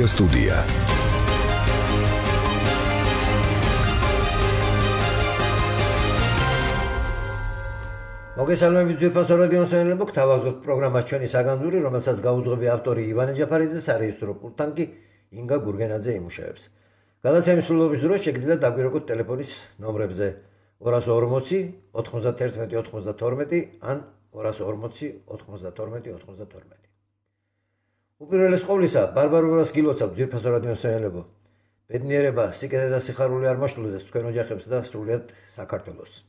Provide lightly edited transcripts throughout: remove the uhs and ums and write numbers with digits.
Media Studia. მოგესალმებით ძვირფასო რადიოს მსმენელებო, გთავაზობთ პროგრამას ჩვენი საგანძური, რომელსაც გაუძღვები ავტორი ივანე ჯაფარიძე, სარეჟისორო პულტთან კი ინგა გურგენაძე იმუშავებს. გადაცემის სრულობის დროს შეგიძლიათ დაგვირეკოთ ტელეფონის ნომრებზე 240 91 92 ან 240 92 92. უპირველეს ყოვლისა, ბარბარობას გილოცავთ ძვირფასო რადიოს მსმენელებო. ბედნიერება, სიკეთე და სიხარული არ მოშლოდეს თქვენ ოჯახებს და სრულიად საქართველოს.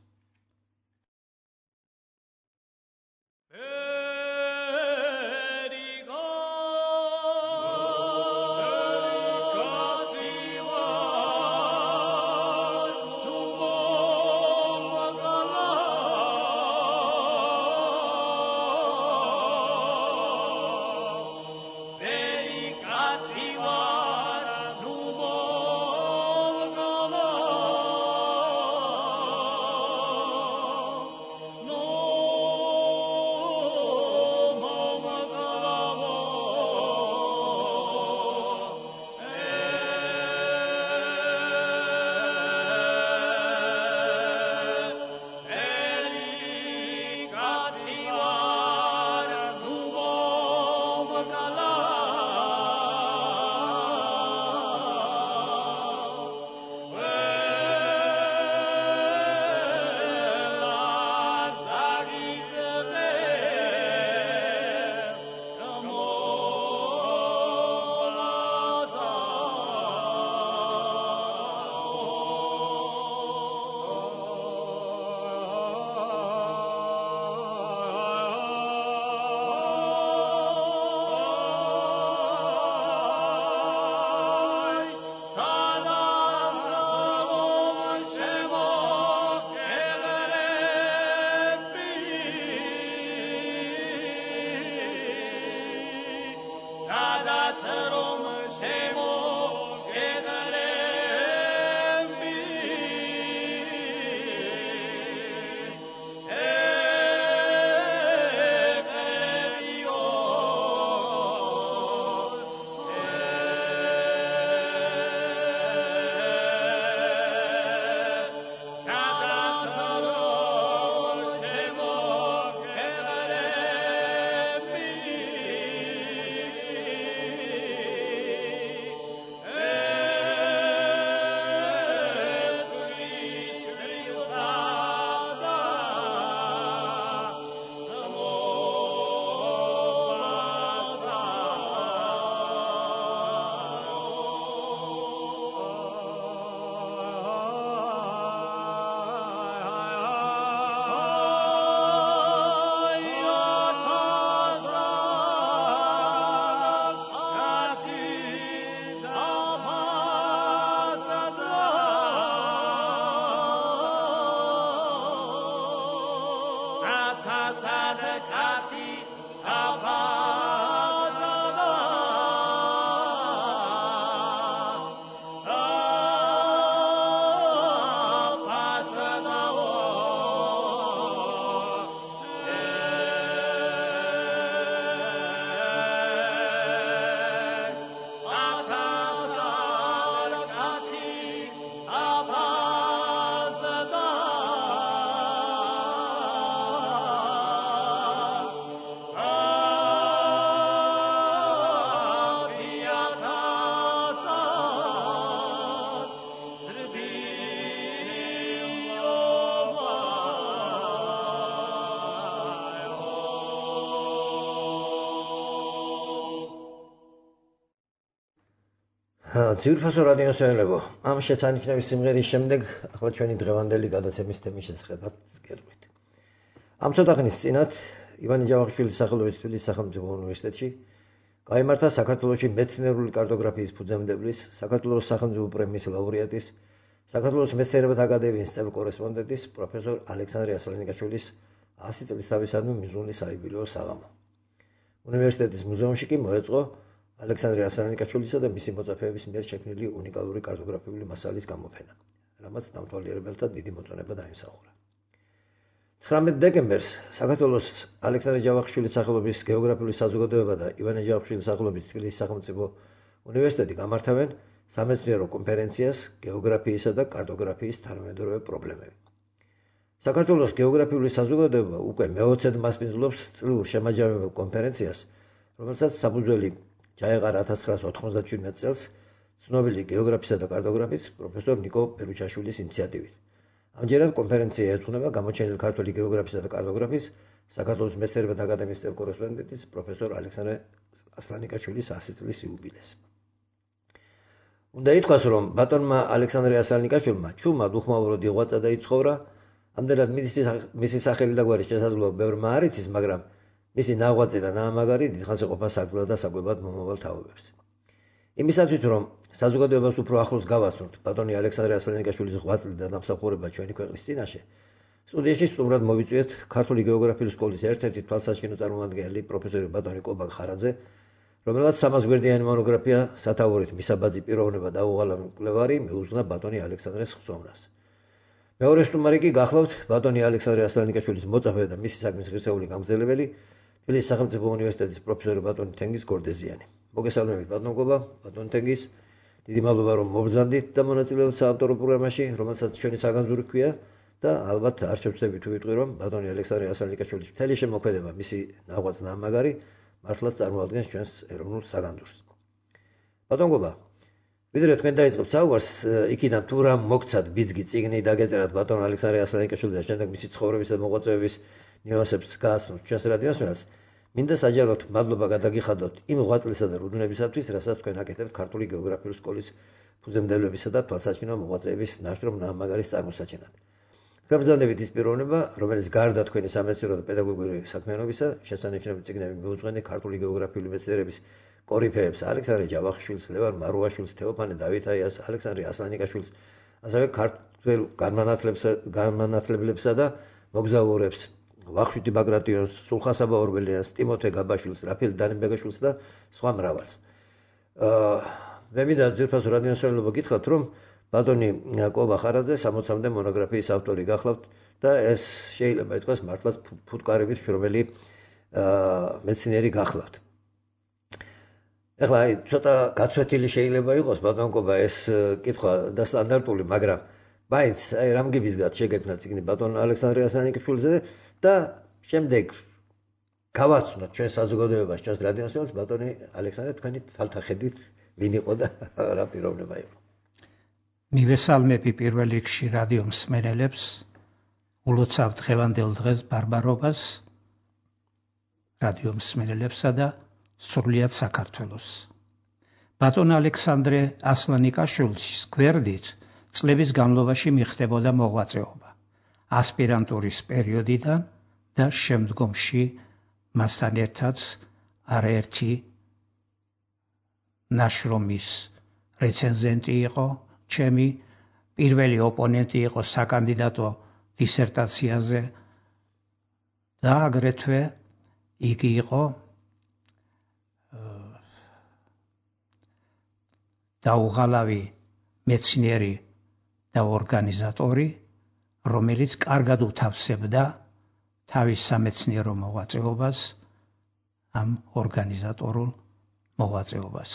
ძვირფასო რადიოს მსმენელებო, ამ შეცანიშნავის სიმღერის შემდეგ ახლა ჩვენი დღევანდელი გადაცემის თემის შესახებაც გეტყვით. ამ ცოტა ხნის წინათ ივანე ჯავახიშვილის სახელობის თბილისის სახელმწიფო უნივერსიტეტში გაიმართა საქართველოში მეცნიერული კარტოგრაფიის ფუძემდებლის, საქართველოს სახელმწიფო პრემიის ლაურეატის, საქართველოს მეცნიერებათა აკადემიის წევრ კორესპონდენტის პროფესორ ალექსანდრე ასლანიკაშვილის 100 წლისთავისადმი მიზნული საიუბილეო საღამო. უნივერსიტეტის მუზეუმში კი მოეწყო ალექსანდრე ასლანიკაშვილისა და მისი მოწაფეების მიერ შექმნილი უნიკალური კარტოგრაფიული მასალის გამოფენა, რამაც დამთვალიერებელთა დიდი მოწონება დაიმსახურა. 19 დეკემბერს საქართველოს ალექსანდრე ჯავახიშვილის სახელობის გეოგრაფიული საზოგადოება და ივანე ჯავახიშვილის სახელობის თბილისის სახელმწიფო უნივერსიტეტი გამართავენ სამეცნიერო კონფერენციას გეოგრაფიისა და კარტოგრაფიის თანამედროვე პრობლემები. საქართველოს გეოგრაფიული საზოგადოება უკვე მე-20-ად მასპინძლობს წლიურ შემაჯამებელ კონფერენციას, რომელსაც საფუძველი ჩაეყარა 1997 წელს ცნობილი გეოგრაფისა და კარტოგრაფის პროფესორ ნიკო პერუჩაშვილის ინიციატივით. ამჯერად კონფერენცია ეძღვნება გამოჩენილი ქართული გეოგრაფისა და კარტოგრაფის საქართველოს მეცნიერებათა აკადემიის წევრ-კორესპონდენტის პროფესორ ალექსანდრე ასლანიკაშვილის 100 წლის იუბილეს. უნდა ითქვას, რომ ბატონმა ალექსანდრე ასლანიკაშვილმა ჩუმად უხმაუროდ იღვაწა და იცხოვრა, ამდენად მისი სახელი და გვარის შესაძლებლობა ბევრმა არ იცის, მაგრამ მისი ნაღვაწი და ნაამაგარი დიდხანს ეყოფა საგზლად და საკვებად მომავალ თაობებს. იმისათვის, რომ საზოგადოებას უფრო ახლოს გავაცნოთ ბატონი ალექსანდრე ასლანიკაშვილის ღვაწლი და დამსახურება ჩვენი ქვეყნის წინაშე, სტუდიაში სტუმრად მოვიწვიეთ ქართული გეოგრაფიული სკოლის ერთ-ერთი თვალსაჩინო წარმომადგენელი პროფესორი ბატონი კობა ხარაძე, რომელსაც 300 გვერდიანი მონოგრაფია სათაურით მისაბაძი პიროვნება და უღალავი მკვლევარი მეუძღვნა ბატონი ალექსანდრეს ხსოვნას. მეორე სტუმარი კი გახლავთ ბატონი ალექსანდრე ასლანიკაშვილის მოწაფე და მისი საქმის ღირსეული გამგზელებელი, თბილისის სახელმწიფო უნივერსიტეტის პროფესორი ბატონი თენგიზ გორდეზიანი. მოგესალმებით ბატონ კობა, ბატონ თენგიზ, დიდი მადლობა რომ მობრძანდით და მონაწილეობთ საავტორო პროგრამაში, რომელსაც ჩვენი საგანძური ჰქვია და ალბათ არ შევწდები თუ ვიტყვი რომ ბატონი ალექსანდრე ასლანიკაშვილის მთელი შემოქმედება, მისი ნაღვაწ ნაამაგარი მართლაც წარმოადგენს ჩვენს ეროვნულ საგანძურს. ბატონ კობა, ვიდრე თქვენ დაიწყებთ საუბარს, იქიდან თუ რა მოგცათ ბიძგი წიგნი დაგეწერათ ბატონ ალექსანდრე ასლანიკაშვილის და შემდეგ მისი ცხოვრების და მოღვაწეობის ნიუანსებს გააცნოთ ჩვენს რადიოსმენელს, მინდა საჯაროდ მადლობა გადაგიხადოთ იმ ღვაწლისა და რუდუნებისათვის, რასაც თქვენ აკეთებთ ქართული გეოგრაფიული სკოლის ფუძემდებლებისა და თვალსაჩინო მოღვაწეების ნაშრომ ნაამაგარის წარმოსაჩინად. თქვენ ბრძანდებით ის პიროვნება, რომელიც გარდა თქვენი სამეცნიერო და პედაგოგიური საქმიანობისა, შესანიშნავი წიგნები მიუძღვენე ქართული გეოგრაფიული მეცნიერების კორიფეებს, ალექსანდრე ჯავახიშვილს, ლევან მარუაშვილს, თეოფანე დავითაიას, ალექსანდრე ასლანიკაშვილს, ასევე ქართველ განმანათლებლებსა და მოგზაურებს, ვახშიტი ბაგრატიონს, სულხან-საბა ორბელიანს, ტიმოთე გაბაშვილს, რაფიელ დანებეგაშვილს და სხვა მრავალს. მე მინდა ძირფასო რადიოსმენელობა გითხრათ, რომ ბატონი კობა ხარაძე 60-მდე მონოგრაფიის ავტორი გახლავთ და ეს შეიძლება ითქვას მართლაც ფუტკარებით შრომელი მეცნიერი გახლავთ. ეხლა ცოტა გაცვეთილი შეიძლება იყოს ბატონ კობა ეს კითხვა და სტანდარტული, მაგრამ მაინც რამგიბისგან შეგექმნა წიგნი ბატონ ალექსანდრე ასლანიკაშვილზე და შემდეგ გავაცნოთ ჩვენ საზოგადოებას, ჩვენს რადიოსმენელს ბატონი ალექსანდრე თქვენი თვალთახედით ვინ იყო და რა პიროვნება იყო. მივესალმები პირველ რიგში რადიო მსმენელებს, ულოცავ დღევანდელ დღეს ბარბარობას, რადიო მსმენელებსა და სრულიად საქართველოს. ბატონ ალექსანდრე ასლანიკაშვილის გვერდით წლების განმავლობაში მიხდებოდა მოღვაწეობა ასპირანტურის პერიოდიდან და შემდგომში მასთან ერთად არაერთი ნაშრომის რეცენზენტი იყო, ჩემი პირველი ოპონენტი იყო საკანდიდატო დისერტაციაზე და აგრეთვე იგი იყო დაუღალავი მეცნიერი და ორგანიზატორი, რომელიც კარგად უთავსებდა თავის სამეცნიერო მოღვაწეობას, ამ ორგანიზატორულ მოღვაწეობას.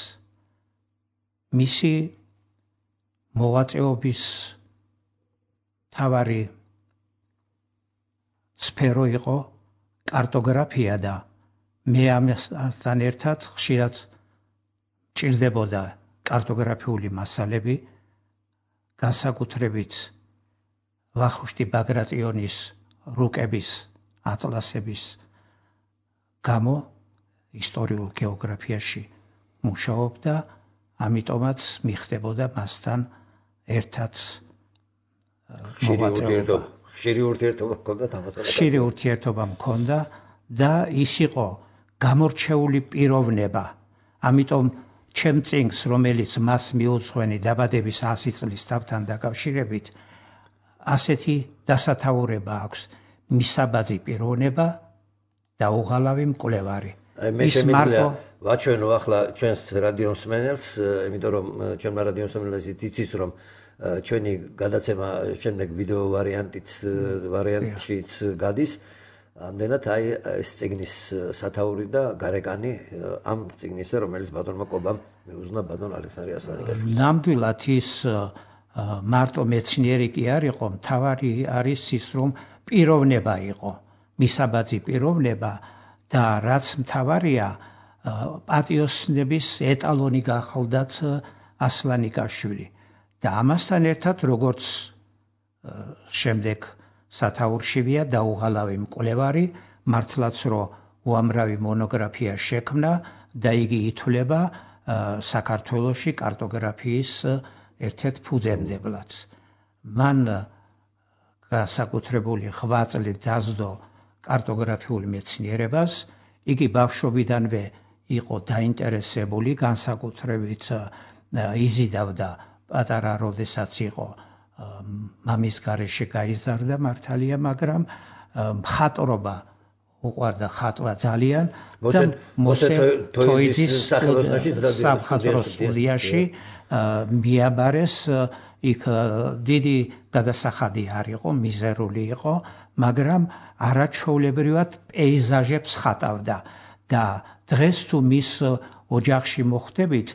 მისი მოღვაწეობის მთავარი სფერო იყო კარტოგრაფია და მე ამასთან ერთად ხშირად მჭირდებოდა კარტოგრაფიული მასალები, განსაკუთრებით ვახუშტი ბაგრატიონის რუკების ატლასების გამო ისტორიულ გეოგრაფიაში მუშაობდა, ამიტომაც მიხდებოდა მასთან ერთად მოღვაწეობა. ხშირი ურთიერთობა მქონდა და ის იყო გამორჩეული პიროვნება. ამიტომ ჩემ წიგნს, რომელიც მას მიუძღვენი დაბადების 100 წლის თავთან დაკავშირებით, ასეთი დასათაურება აქვს: მისაბაძი პიროვნება და უღალავი მკვლევარი. მე შემიძლია ვაჩვენო ახლა ჩვენს რადიოსმენელს, იმიტომ რომ ჩვენმა რადიოსმენელს იცის, რომ ჩვენი გადაცემა შემდეგ ვიდეო ვარიანტშიც გადის. ამდენად აი ეს წიგნის სათაური და გარეკანი ამ წიგნისა, რომელიც ბატონმა კობამ მეუზნა ბატონ ალექსანდრე ასლანიკაშვილს. ნამდვილად ის მარტო მეცნიერი კი არ იყო, მთავარი არის ის, რომ პიროვნება იყო, მისაბაძი პიროვნება და რაც მთავარია, პატიოსნების ეტალონი გახლდათ ასლანიკაშვილი. და ამასთან ერთად, როგორც შემდეგ სათაურშივია დაუღალავი მკვლევარი, მართლაც რომ უამრავი მონოგრაფია შექმნა და იგი ითვლება საქართველოში კარტოგრაფიის ერთ-ერთ ფუძემდებლად. მან განსაკუთრებული ღვაწლი დასდო კარტოგრაფიულ მეცნიერებას, იგი ბავშვობიდანვე იყო დაინტერესებული, განსაკუთრებით იზიდავდა პატარა როდესაც იყო მამის გარეშე გაიზარდა მართალია, მაგრამ მხატვრობა უყვარდა ხატვა ძალიან და მოსე თოიძის სამხატვრო სტუდიაში მიაბარეს. იქ დიდი გადასახადი არ იყო, მიზერული იყო, მაგრამ არაჩვეულებრივად პეიზაჟებს ხატავდა და დღეს თუ მის ოჯახში მოხვდებით,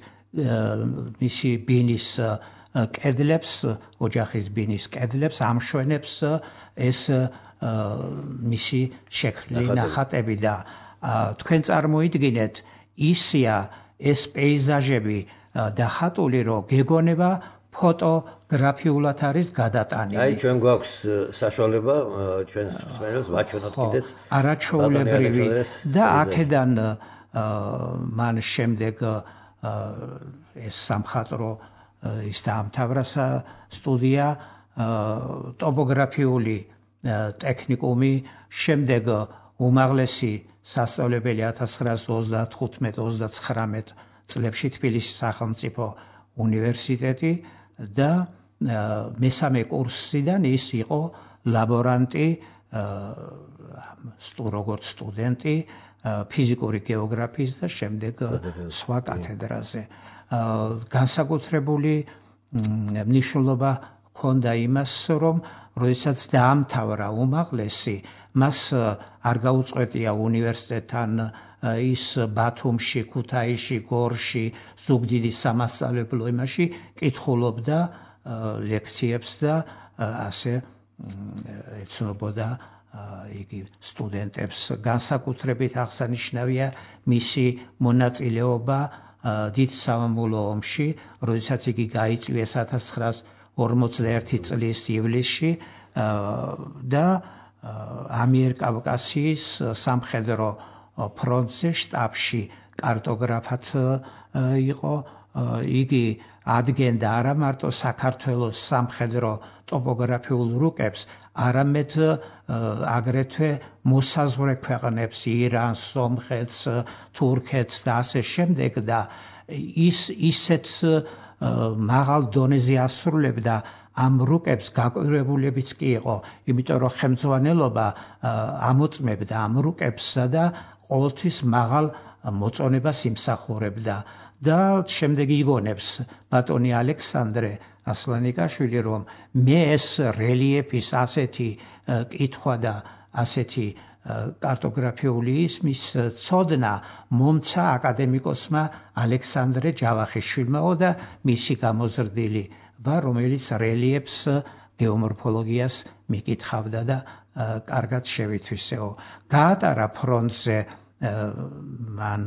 მისი ბინის კედლებს, ოჯახის ბინის კედლებს ამშვენებს ეს მისი შექმნილი ნახატები და თქვენ წარმოიდგინეთ, ისია ეს პეიზაჟები დახატული, რომ გეგონება ფოტოგრაფიულად არის გადატანილი. აი ჩვენ გვაქვს საშუალება ჩვენს მსმენელს ვაჩვენოთ კიდეც არაჩვეულებრივი და აქედან მან შემდეგ ეს სამხატვრო ის დაამთავრა სტუდია, ტოპოგრაფიული ტექნიკუმი, შემდეგ უმაღლესი სასწავლებელი 1935-39 წლებში თბილისის სახელმწიფო უნივერსიტეტი და მესამე კურსიდან ის იყო ლაბორანტი, როგორც სტუდენტი ფიზიკური გეოგრაფიის და შემდეგ სხვა კათედრაზე. განსაკუთრებული მნიშვნელობა ჰქონდა იმას, რომ როდესაც დაამთავრა უმაღლესი, მას არ გაუწყვეტია უნივერსიტეტთან ის ბათუმში, ქუთაისში, გორში, ზუგდიდის სამასწავლებლო იმაში კითხულობდა ლექციებს და ასე ეცნობოდა იგი სტუდენტებს. განსაკუთრებით აღსანიშნავია მისი მონაწილეობა დიდ სამამულო ომში, როდესაც იგი გაიწვიეს 1941 წლის ივლისში და ამიერკავკასიის სამხედრო ფრონტზე შტაბში კარტოგრაფად იყო. იგი ადგენდა არა მარტო საქართველოს სამხედრო ტოპოგრაფიულ რუკებს, არამედ აგრეთვე მოსაზღვრე ქვეყნებს, ირანს, სომხეთს, თურქეთს და ასე შემდეგ და ისეთ მაღალ დონეზე ასრულებდა ამ რუკებს, გაკვირვებულებიც კი იყო, იმიტომ რომ ხელმძღვანელობა ამოწმებდა ამ რუკებსა და ყოველთვის მაღალ მოწონებას იმსახურებდა და შემდეგ იგონებს ბატონი ალექსანდრე ასლანიკაშვილი, რომ მე ეს რელიეფის ასეთი კითხვა და ასეთი კარტოგრაფიული ისმის ცოდნა მომცა აკადემიკოსმა ალექსანდრე ჯავახიშვილმაო და მისი გამოზრდილი ვა, რომელიც რელიეფს, გეომორფოლოგიას მიკითხავდა და კარგად შევითვისეო. გაატარა ფრონტზე მან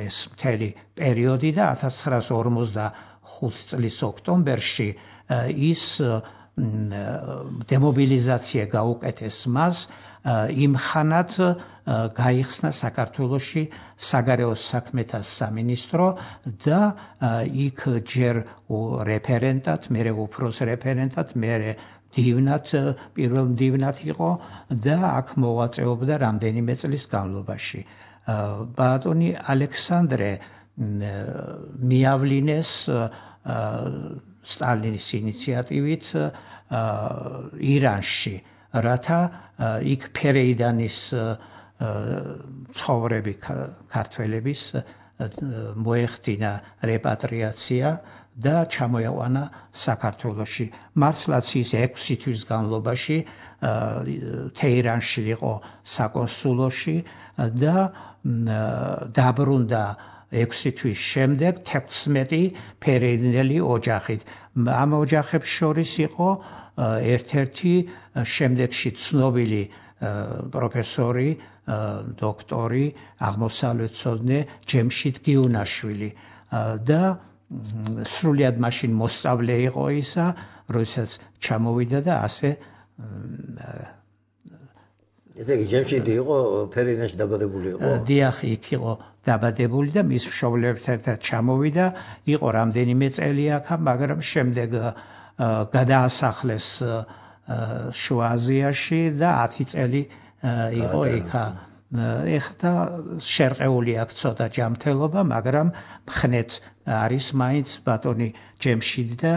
ეს მთელი პერიოდი და 1945 წლის ოქტომბერში ის დემობილიზაცია გაუკეთეს მას, იმხანად გაიხსნა საქართველოში საგარეო საქმეთა სამინისტრო და იქ ჯერ რეფერენტად, მერე უფროს რეფერენტად, მერე მდივნად, პირველ მდივნად იყო და აქ მოღვაწეობდა რამდენიმე წლის განმავლობაში. ბატონი ალექსანდრე მიავლინეს სტალინის ინიციატივით ირანში, რათა იქ ფერეიდანის ცხოვრები ქართველების მოეხდინა რეპატრიაცია და ჩამოეყვანა საქართველოში. მართლაც ის 6 თვის განმავლობაში თეირანში იყო საკონსულოში და დაბრუნდა 6 თვის შემდეგ 16 ფერეიდნელი ოჯახით. ამ ოჯახებს შორის იყო ერთ-ერთი შემდეგში ცნობილი პროფესორი, დოქტორი, აღმოსავლეთმცოდნე ჯემშიდ გიუნაშვილი და სრულიად მაშინ მოსწავლე იყო ისა, როდესაც ჩამოვიდა და ასე ესე იგი ჯემშიდი იყო ფერეიდნაში დაბადებული იყო? დიახ, იქ იყო დაბადებული და მის მშობლებთან ერთად ჩამოვიდა, იყო რამდენიმე წელი აქ, მაგრამ შემდეგ გადაასახლეს შუა აზიაში და 10 წელი იყო იქ. ეხლა შერყეული აქვს ცოტა ჯანმრთელობა, მაგრამ მხნეთ არის მაინც ბატონი ჯემშიდი და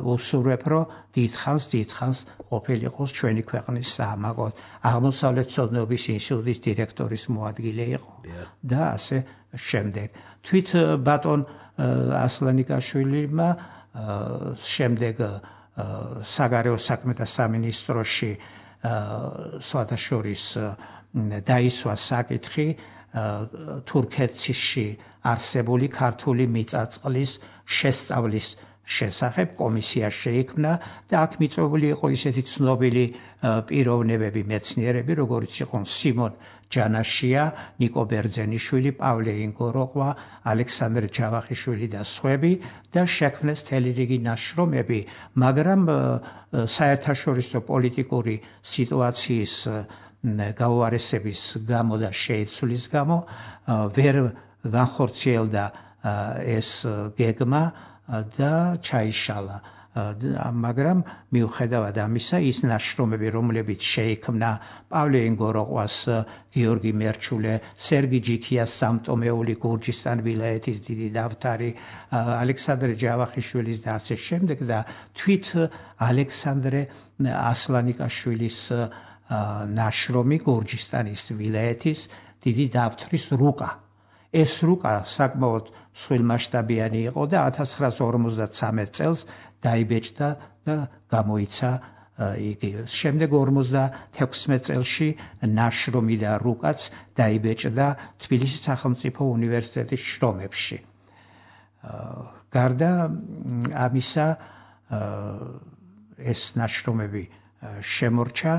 უსურვებ, რომ დიდხანს ყოფილიყოს ჩვენი ქვეყნის საამაგო აღმოსავლეთმცოდნეობის ინსტიტუტის დირექტორის მოადგილე იყო და ასე შემდეგ. თვით ბატონ ასლანიკაშვილმა შემდეგ საგარეო საქმეთა სამინისტროში სხვათაშორის დაისვა საკითხი თურქეთში არსებული ქართული მიწა-წყლის შესწავლის შესახებ კომისია შეიქმნა და აქ მიწვეული იყო ისეთი ცნობილი პიროვნებები, მეცნიერები, როგორიც იყო სიმონ ჯანაშია, ნიკო ბერძენიშვილი, პავლე ინგოროყვა, ალექსანდრე ჯავახიშვილი და სხვები და შექმნეს მთელი რიგი ნაშრომები, მაგრამ საერთაშორისო პოლიტიკური სიტუაციის გაუარესების გამო და შეიცვლის გამო ვერ განხორციელდა ეს გეგმა და ჩაიშალა. მაგრამ მიუხედავად ამისა, ის ნაშრომები, რომლებიც შეიქმნა პავლე ინგოროყვას, გიორგი მერჩულე, სერგი ჯიქიას სამტომეული გურჯისტან ვილაიეთის დიდი დავთარი, ალექსანდრე ჯავახიშვილის და ასე შემდეგ და თვით ალექსანდრე ასლანიკაშვილის ნაშრომი გურჯისტანის ვილაიეთის დიდი დავთრის რუკა. ეს რუკა საკმაოდ სრულმასშტაბიანი იყო და 1953 წელს დაიბეჭდა და გამოიცა იგი. შემდეგ 56 წელში ნაშრომი და რუკაც დაიბეჭდა თბილისის სახელმწიფო უნივერსიტეტის შრომებში. გარდა ამისა ეს ნაშრომები შემორჩა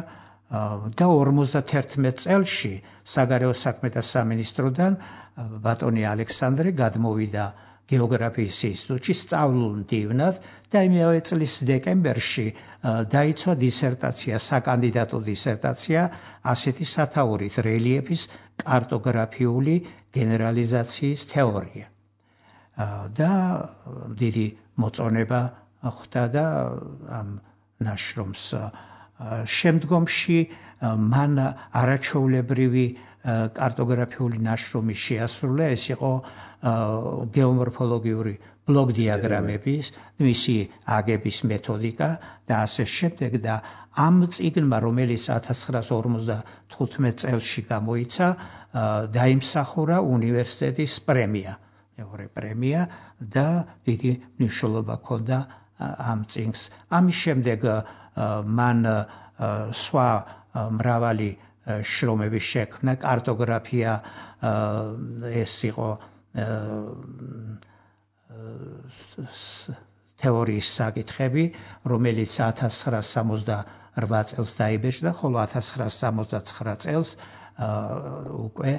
და 51 წელში საგარეო საქმეთა სამინისტროდან ბატონი ალექსანდრე გადმოვიდა გეოგრაფიის ინსტიტუტში სწავლულ მდივნად და იმავე წლის დეკემბერში დაიცვა დისერტაცია, საკანდიდატო დისერტაცია ასეთი სათაურით რელიეფის კარტოგრაფიული გენერალიზაციის თეორია. და დიდი მოწონება ხვდა და ამ ნაშრომს შემდგომში მან არაჩვეულებრივი კარტოგრაფიული ნაშრომი შეასრულა, ეს იყო გეომორფოლოგიური ბლოკ დიაგრამების, მისი აგების მეთოდიკა და ასე შემდეგ და ამ წიგნმა, რომელიც 1955 წელში გამოიცა, დაიმსახურა უნივერსიტეტის პრემია, მეორე პრემია და დიდი მნიშვნელობა ჰქონდა ამ წიგნს. ამის შემდეგ მან სხვა მრავალი შრომები შექმნა, კარტოგრაფია, ეს იყო თეორიის საკითხები, რომელიც 1968 წელს დაიბეჭდა, ხოლო 1969 წელს უკვე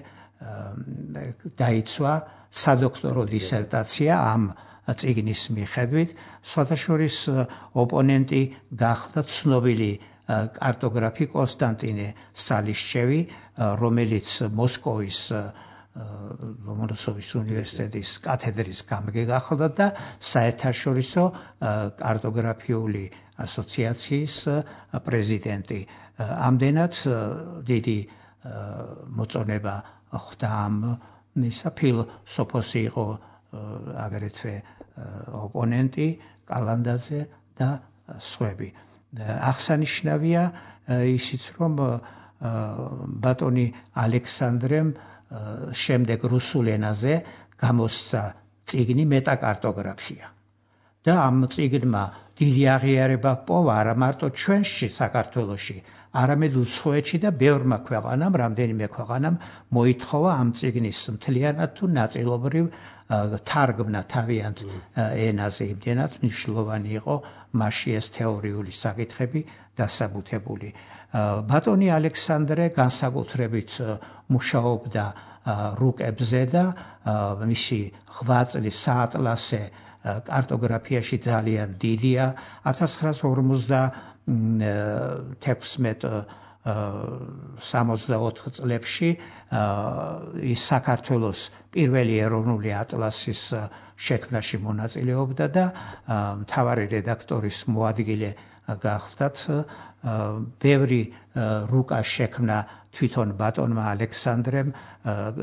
დაიცვა სადოქტორო დისერტაცია ამ წიგნის მიხედვით. სხვათაშორის ოპონენტი გახდა ცნობილი კარტოგრაფი კონსტანტინე სალიშჩევი, რომელიც მოსკოვის ლომონოსოვის უნივერსიტეტის კათედრის გამგე გახდა და საერთაშორისო კარტოგრაფიული ასოციაციის პრეზიდენტი. ამდენად დიდი მოწონება ხვდა ამ ისა ფილოსოფოსი იყო აგრეთვე ოპონენტი კალანდაძე და სხვები. აღსანიშნავია ისიც, რომ ბატონი ალექსანდრემ შემდეგ რუსულ ენაზე გამოსცა წიგნი მეტაკარტოგრაფია. და ამ წიგნმა დიდი აღიარება პოვა არა მარტო ჩვენში საქართველოში, არამედ უცხოეთში და ბევრმა ქვეყანამ, რამდენიმე ქვეყანამ მოითხოვა ამ წიგნის მთლიანად თუ ნაწილობრივ თარგმნა თავიანთ ენაზე. იმდენად მნიშვნელოვანი იყო მასში ეს თეორიული საკითხები დასაბუთებული. ბატონი ალექსანდრე განსაკუთრებით მუშაობდა რუკებზე და მისი ღვაწლი საატლასე კარტოგრაფიაში ძალიან დიდია. 1916-64 წლებში ის საქართველოს პირველი ეროვნული ატლასის შექმნაში მონაწილეობდა და მთავარი რედაქტორის მოადგილე გახდათ. ბევრი რუკა შექმნა თვითონ ბატონმა ალექსანდრემ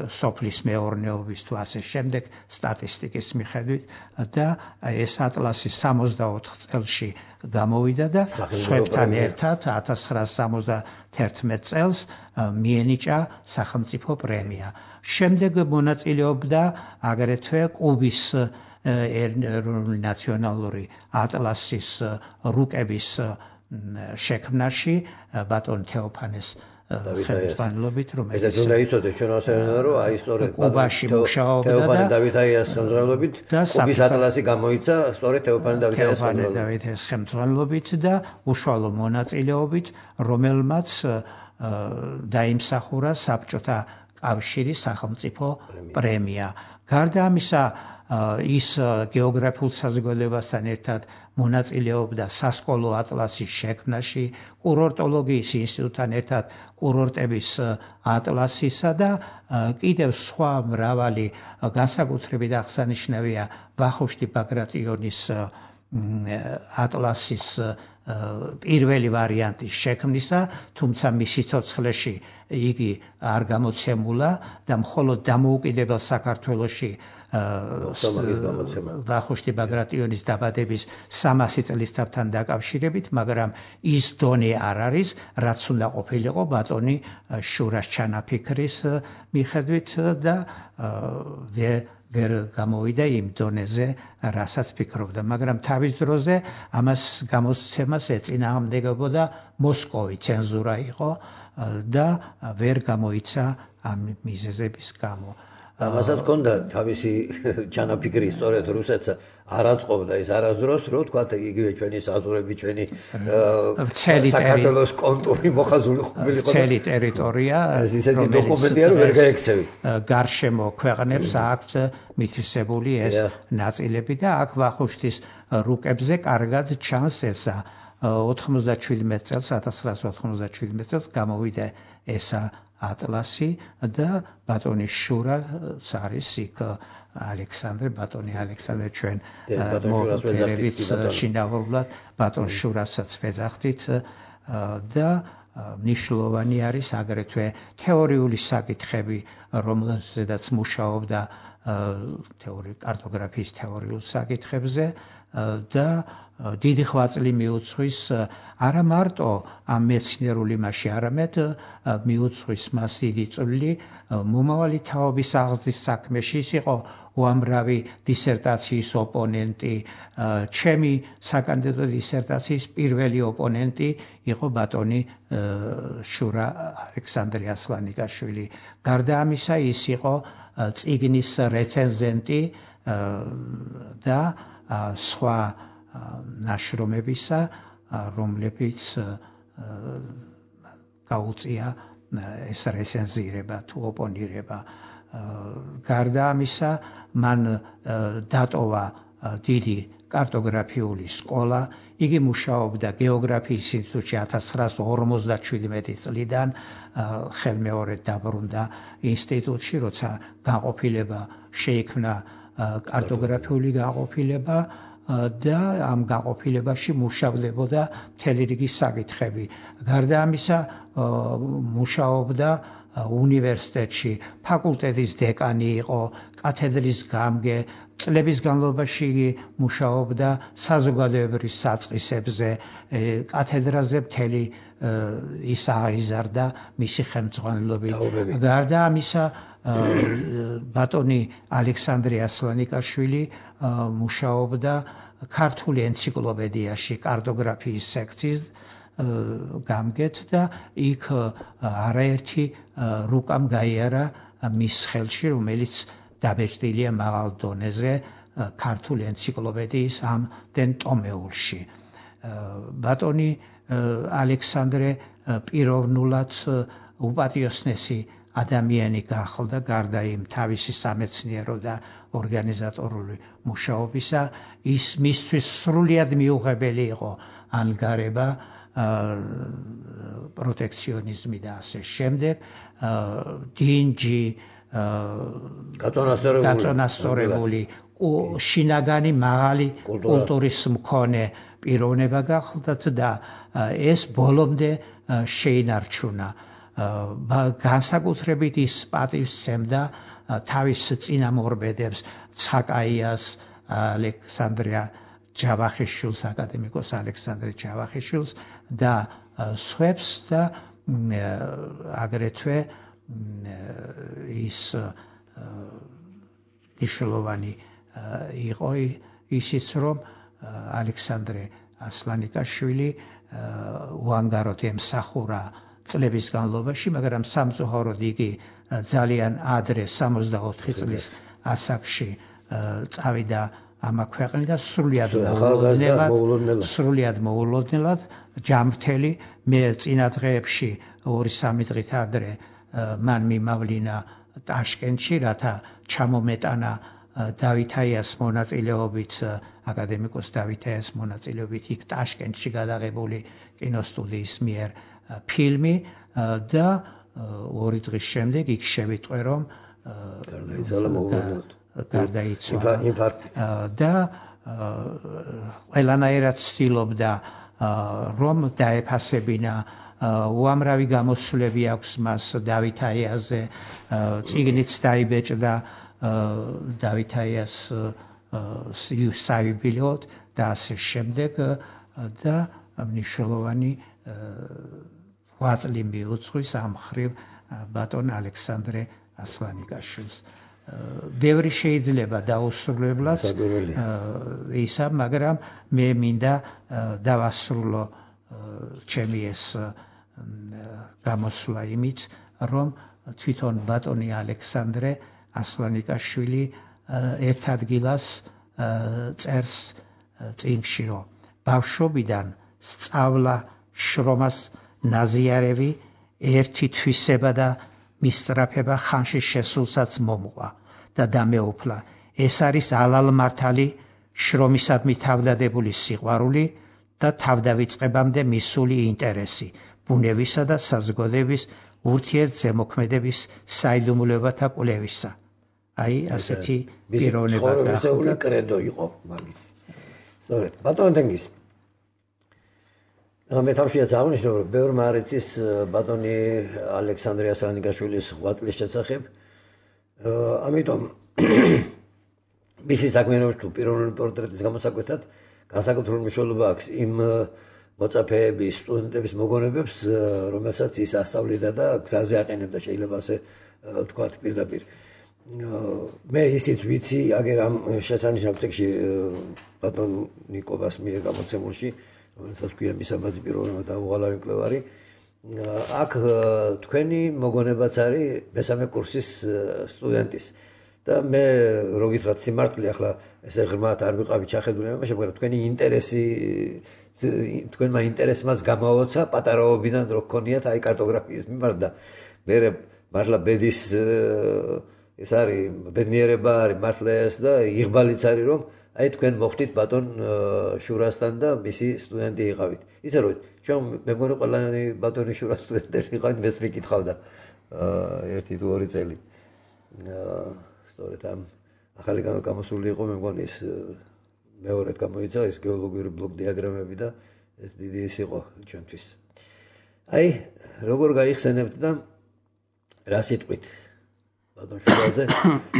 სოფლის მეურნეობის თუ ასე შემდეგ სტატისტიკის მიხედვით და ეს ატლასი 64 წელში გამოვიდა და სხვებთან ერთად 1971 წელს მიენიჭა სახელმწიფო პრემია. შემდეგ მონაწილეობდა აგრეთვე კუბის ნაციონალური ატლასის რუკების შექმნაში ბატონ თეოფანეს ხელმძღვანელობით, რომელიც ეს უნდა იცოდეს ჩვენ ასენა რომ აი სწორედ კუბაში მუშაობდა და თეოფანე დავითაიას ხელმძღვანელობით კუბის ატლასი გამოიცა სწორედ თეოფანე დავითაიას ხელმძღვანელობით და უშუალო მონაწილეობით, რომელმაც დაიმსახურა საბჭოთა კავშირის სახელმწიფო პრემია. გარდა ამისა ის გეოგრაფიულ საზოგადოებასთან ერთად მონაწილეობდა სასკოლო ატლასის შექმნაში, კურორტოლოგიის ინსტიტუტთან ერთად კურორტების ატლასისა და კიდევ სხვა მრავალი განსაკუთრებით აღსანიშნავია ვახუშტი ბაგრატიონის ატლასის პირველი ვარიანტის შექმნისა, თუმცა მის სიცოცხლეში იგი არ გამოცემულა და მხოლოდ დამოუკიდებელ საქართველოში ვახუშტი ბაგრატიონის დაბადების 300 წლისთავთან დაკავშირებით, მაგრამ ის დონე არ არის, რაც უნდა ყოფილიყო ბატონი შურას ჩანაფიქრის მიხედვით და ვერ გამოვიდა იმ დონეზე, რასაც ფიქრობდა, მაგრამ თავის დროზე ამას გამოსცემას ეწინააღმდეგებოდა მოსკოვი, ცენზურა იყო და ვერ გამოიცა ამ მიზეზების გამო. ამასაც ჰქონდა თავისი ჩანაფიქრი, სწორედ რუსეთს არ აწყობდა ის არასდროს, რომ თქვათ იგივე ჩვენი საზღვრები, ჩვენი საქართველოს კონტური მოხაზული ყოფილიყო. მთელი ტერიტორია, ეს ისეთი დოკუმენტია, რომ ვერ გაექცევი. გარშემო ქვეყნებს აქვთ მითვისებული ეს ნაწილები და აქ ვახუშტის რუკებზე კარგად ჩანს ესა 97 წელს 1997 წელს გამოვიდა ესა ატლასი და ბატონი შურაც არის იქ ბატონი ალექსანდრე ჩვენ მოგებით შინაურულად ბატონ შურასაც ვეძახდით და მნიშვნელოვანი არის აგრეთვე თეორიული საკითხები, რომელზედაც მუშაობდა კარტოგრაფიის თეორიულ საკითხებზე და დიდი ღვაწლი მიუძღვის არა მარტო ამ მეცნიერული მასში, არამედ მიუძღვის მას დიდი წვლილი მომავალი თაობის აღზრდის საქმეში. ის იყო უამრავი დისერტაციის ოპონენტი, ჩემი საკანდიდატო დისერტაციის პირველი ოპონენტი იყო ბატონი შურა ალექსანდრე ასლანიკაშვილი. გარდა ამისა, ის იყო წიგნის რეცენზენტი და სხვა ნაშრომებისა, რომლებიც გაუწია ეს რეცენზირება თუ ოპონირება. გარდა ამისა, მან დატოვა დიდი კარტოგრაფიული სკოლა, იგი მუშაობდა გეოგრაფიის ინსტიტუტში 1957 წლიდან, ხელმეორედ დაბრუნდა ინსტიტუტში, როცა განყოფილება შეიქმნა კარტოგრაფიული განყოფილება და ამ განყოფილებაში მუშავდებოდა მთელი რიგი საკითხები. გარდა ამისა, მუშაობდა უნივერსიტეტში, ფაკულტეტის დეკანი იყო, კათედრის გამგე, წლების განმავლობაში იგი მუშაობდა საზოგადოებრივ საწყისებზე, კათედრაზე მთელი ის აღიზარდა მისი ხელმძღვანელობით. გარდა ამისა, ბატონი ალექსანდრე ასლანიკაშვილი მუშაობდა ქართული ენციკლოპედიაში კარტოგრაფიის სექციის გამგედ და იქ არაერთი რუკამ გაიარა მის ხელში, რომელიც დაბეჭდილია მაღალ დონეზე ქართული ენციკლოპედიის ამ ტომეულში. ბატონი ალექსანდრე პიროვნულად უპატიოსნესი ადამიანი გახლდა, გარდა იმ თავისი სამეცნიერო და ორგანიზატორული მუშაობისა, ის მისთვის სრულიად მიუღებელი იყო ანგარება, პროტექციონიზმი და ასე შემდეგ, დინჯი, გაწონასწორებული, შინაგანი მაღალი კულტურის მქონე პიროვნება გახლდათ და ეს ბოლომდე შეინარჩუნა. განსაკუთრებით ის პატივს სცემდა თავის წინამორბედებს, ცხაკაიას, ალექსანდრე ჯავახიშვილს, აკადემიკოს ალექსანდრე ჯავახიშვილს და სხვებს და აგრეთვე ის მნიშვნელოვანი იყო ისიც, რომ ალექსანდრე ასლანიკაშვილი უანგაროდ ემსახურა წლების განმავლობაში, მაგრამ სამწუხაროდ იგი ძალიან ადრე 64 წლის ასაკში წავიდა ამ ქვეყნიდან სრულიად მოულოდნელად, ჯამრთელი. მე წინა დღეებში 2-3 დღით ადრე მან მიმავლინა ტაშკენტში, რათა ჩამომეტანა დავითაიას მონაწილეობით, აკადემიკოს დავითაიას მონაწილეობით იქ ტაშკენტში გადაღებული კინოსტუდიის მიერ ფილმი და 2 დღის შემდეგ იქ შევიტყვე, რომ გარდაიცვალა და ყველანაირად ცდილობდა რომ დაეფასებინა, უამრავი გამოსვლები აქვს მას დავითაიაზე, წიგნიც დაიბეჭდა დავითაიას საიუბილეოდ და ასე შემდეგ და მნიშვნელოვანი ღვაწლი მიუძღვის ამ მხრივ ბატონ ალექსანდრე ასლანიკაშვილს. ბევრი შეიძლება დაუსრულებლად ისა, მაგრამ მე მინდა დავასრულო ჩემი ეს გამოსვლა იმით, რომ თვითონ ბატონი ალექსანდრე ასლანიკაშვილი ერთ ადგილას წერს წიგნში, რომ ბავშვობიდან სწავლა, შრომას ნაზიარევი, ერთი თვისება და მისწრაფება ხანში შესულსაც მომყვა და დამეუფლა. ეს არის ალალმართალი, შრომისადმი თავდადებული სიყვარული და თავდავიწყებამდე მისული ინტერესი, ბუნებისა და საზოგადოების ურთიერთზემოქმედების საიდუმლოებათა კვლევისა. აი, ასეთი პიროვნება გახლდა. კრედო იყო მაგის. სწორედ, ბატონ დენგის. მე თავშიაც აღნიშნე, რომ ბევრმა არ იცის ბატონი ალექსანდრე ასლანიკაშვილის ღვაწლის შესახებ. ამიტომ მისი საქმიანობის თუ პიროვნული პორტრეტის გამოსაკვეთად განსაკუთრებული მნიშვნელობა აქვს იმ მოწაფეების, სტუდენტების მოგონებებს, რომელსაც ის ასწავლიდა და გზაზე აყენებდა, შეიძლება ასე ვთქვათ პირდაპირ. მე ისიც ვიცი, აგერ ამ შესანიშნავ წიგნში ბატონ ნიკობას მიერ გამოცემულში, რომელსაც ქვია მისაბაძი პიროვნება და უღალავი მკვლევარი, აქ თქვენი მოგონებაც არის მესამე კურსის სტუდენტის. და მე რო გითხრათ სიმართლე, ახლა ესე ღრმად არ ვიყავი ჩახედული, მაგრამ თქვენი ინტერესი, თქვენმა ინტერესმაც გამაოცა პატარაობიდან რო გქონიათ აი კარტოგრაფიის მიმართ და მე მართლა ბედის ეს არის ბედნიერება არის მართლა ეს და იღბალიც არის, რომ აი თქვენ მოხდით ბატონ შურასთან და მისი სტუდენტი იყავით. იცი რომ ჩვენ მე მგონი ყველანი ბატონი შურას სტუდენტები იყავით, მეც მიკითხავდა 1-2 წელი. სწორედ ამ ახალი გამოსული იყო, მე მგონი ის მეორედ გამოიცა ეს გეოლოგიური ბლოკ დიაგრამები და ეს დიდი ის იყო ჩვენთვის. აი, როგორ გაიხსენებთ და რა სიტყვით ბატონ შურაძე,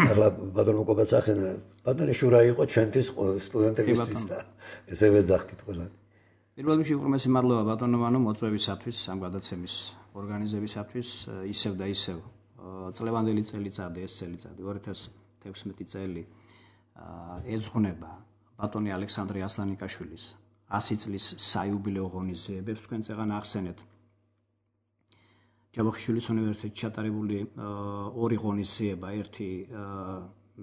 ახლა ბატონ მოკობაც ახსენა, ბატონი შურა იყო ჩვენთვის სტუდენტებისთვის და ესე ვეძახით ყველანი. პირველ რიგში უღრმესი მადლობა ბატონოვანო მოწვევისათვის, ამ გადაცემის ორგანიზებისათვის, ისევ და ისევ წლევანდელი წელიწადი, ეს წელიწადი 2016 წელი ეძღვნება ბატონი ალექსანდრე ასლანიკაშვილის 100 წლის საიუბილეო ღონისძიებებს. თქვენ წეგან ახსენეთ ჯავახიშვილის უნივერსიტეტში ჩატარებული ორი ღონისძიება, ერთი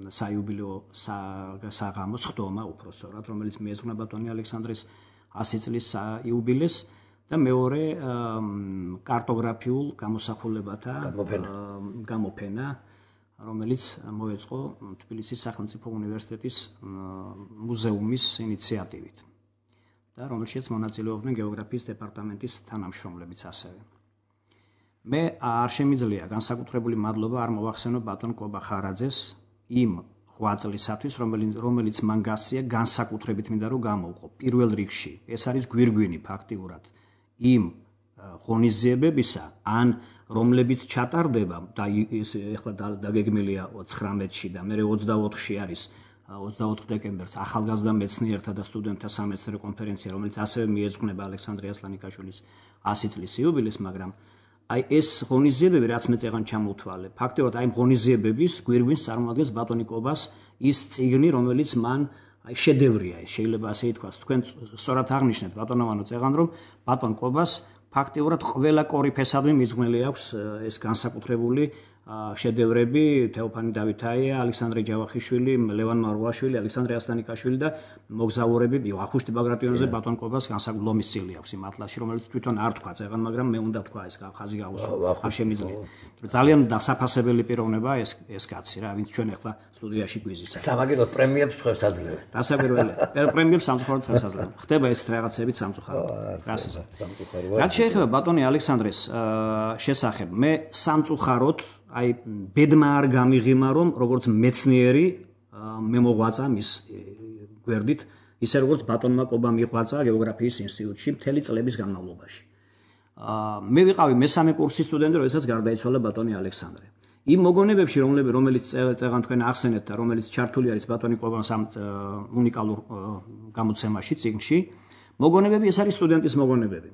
საიუბილეო საღამო სხდომა უпроსწორად, რომელიც მიეძღვნა ბატონი ალექსანდრის 100 წლის იუბილეს და მეორე კარტოგრაფიულ გამოსახულებათა გამოფენა, რომელიც მოეწყო თბილისის სახელმწიფო უნივერსიტეტის მუზეუმის ინიციატივით და რომელშიც მონაწილეობდნენ გეოგრაფიის დეპარტამენტის თანამშრომლებიც ასევე. მე არ შემიძლია განსაკუთრებული მადლობა არ მოვახსენო ბატონ კობა ხარაძეს იმ ღვაწლისათვის, რომელიც მან გასწია განსაკუთრებით მინდა რომ გამოვყო. პირველ რიგში ეს არის გვირგვინი ფაქტიურად იმ ღონისძიებებისა, ან რომლებიც ჩატარდება და ეხლა დაგეგმილია 19-ში და მე 24-ში არის 24 დეკემბერს ახალგაზრდა მეცნიერთა და სტუდენტთა სამეცნიერო კონფერენცია, რომელიც ასევე მიეძღვნება ალექსანდრე ასლანიკაშვილის 100 წლის იუბილეს, მაგრამ აი ეს ღონისძიებები, რაც მე წეგან ჩამოვთვალე, ფაქტობრივად აი ღონისძიებების გვირგვინს წარმოადგენს ბატონი კობას ის წიგნი, რომელიც მან აი შედევრია, შეიძლება ასე ითქვას. თქვენ სწორად აღნიშნეთ ბატონოვანო წეგან, რომ ბატონ კობას ფაქტობრივად ყველა კორიფესადმი მიძღვნილი აქვს ეს განსაკუთრებული შედევრები, თეოფანი დავითაია, ალექსანდრე ჯავახიშვილი, ლევან მარუაშვილი, ალექსანდრე ასლანიკაშვილი და მოგზაურები, ახუშტი ბაგრატიონზე ბატონ კობას განსაკუთრებული ლომის წილი აქვს იმ ატლასში, რომელიც თვითონ არ თქვა წეგან, მაგრამ მე უნდა თქვა ეს ხაზი გავუსვა, არ შემიძლია. ძალიან დასაფასებელი პიროვნება ეს კაცი რა, ვინც ჩვენ ახლა სტუდიაში გვიზის. სამაგიეროდ პრემიებს თქვენს აძლევენ. დასაკვირველია. პრემიებს სამწუხაროდ თქვენს აძლევენ. ხდება ეს რაღაცებით სამწუხაროდ. რაც შეეხება ბატონი ალექსანდრეს შესახებ, მე სამწუხაროდ აი ბედმა არ გამიღიმა, რომ როგორც მეცნიერი მე მოღვაწა მის გვერდით, ისე როგორც ბატონმა კობამ მიღვაწა გეოგრაფიის ინსტიტუტში მთელი წლების განმავლობაში. მე ვიყავი მესამე კურსის სტუდენტი, როდესაც გარდაიცვალა ბატონი ალექსანდრე. იმ მოგონებებში, რომელიც წეგან თქვენ ახსენეთ და რომელიც ჩართული არის ბატონი კობას ამ უნიკალურ გამოცემაში, წიგნში, მოგონებები ეს არის სტუდენტის მოგონებები.